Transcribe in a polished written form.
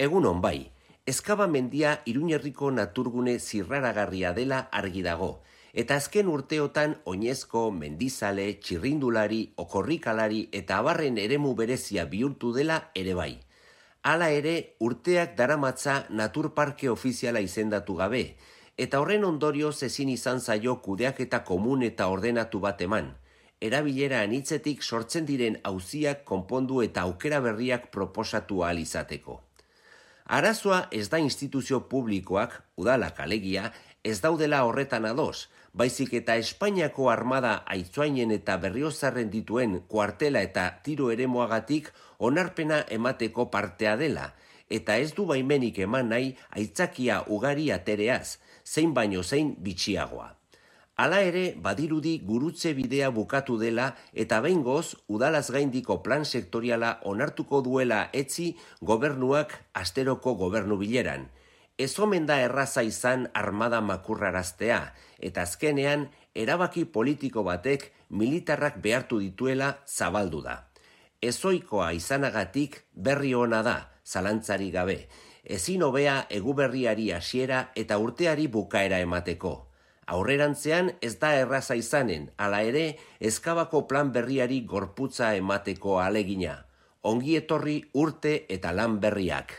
Egunon bai, Ezkaba mendia Iruñerriko naturgune zirraragarria dela argi dago, eta azken urteotan oinezko, mendizale, txirrindulari, okorrikalari eta abarren eremu berezia bihurtu dela ere bai. Hala ere, urteak daramatza naturparke ofiziala izendatu gabe, eta horren ondorioz ezin izan zaio kudeaketa komun eta ordenatu bat eman. Erabilera anitzetik sortzen diren auziak konpondu eta aukera berriak proposatu ahal izateko. Arazoa ez da instituzio publikoak, udalak alegia, ez daudela horretan ados, baizik eta Espainiako armada aitzoainen eta berriozarren dituen kuartela eta tiro eremuagatik onarpena emateko partea dela, eta ez du baimenik eman nahi aitzakia ugari atereaz, zein baino zein bitxiagoa. Hala ere, badirudi gurutze bidea bukatu dela eta behingoz udalaz gaindiko plan sektoriala onartuko duela etzi gobernuak asteroko gobernu bileran. Ez omen da erraza izan armada makurraraztea, eta azkenean erabaki politiko batek militarrak behartu dituela zabaldu da. Ezoikoa izanagatik berri ona da, zalantzari gabe, ezin hobea eguberriari hasiera eta urteari bukaera emateko. Aurrerantzean ez da erraza izanen, hala ere, Ezkabako plan berriari gorputza emateko ahalegina. Ongi etorri urte eta lan berriak.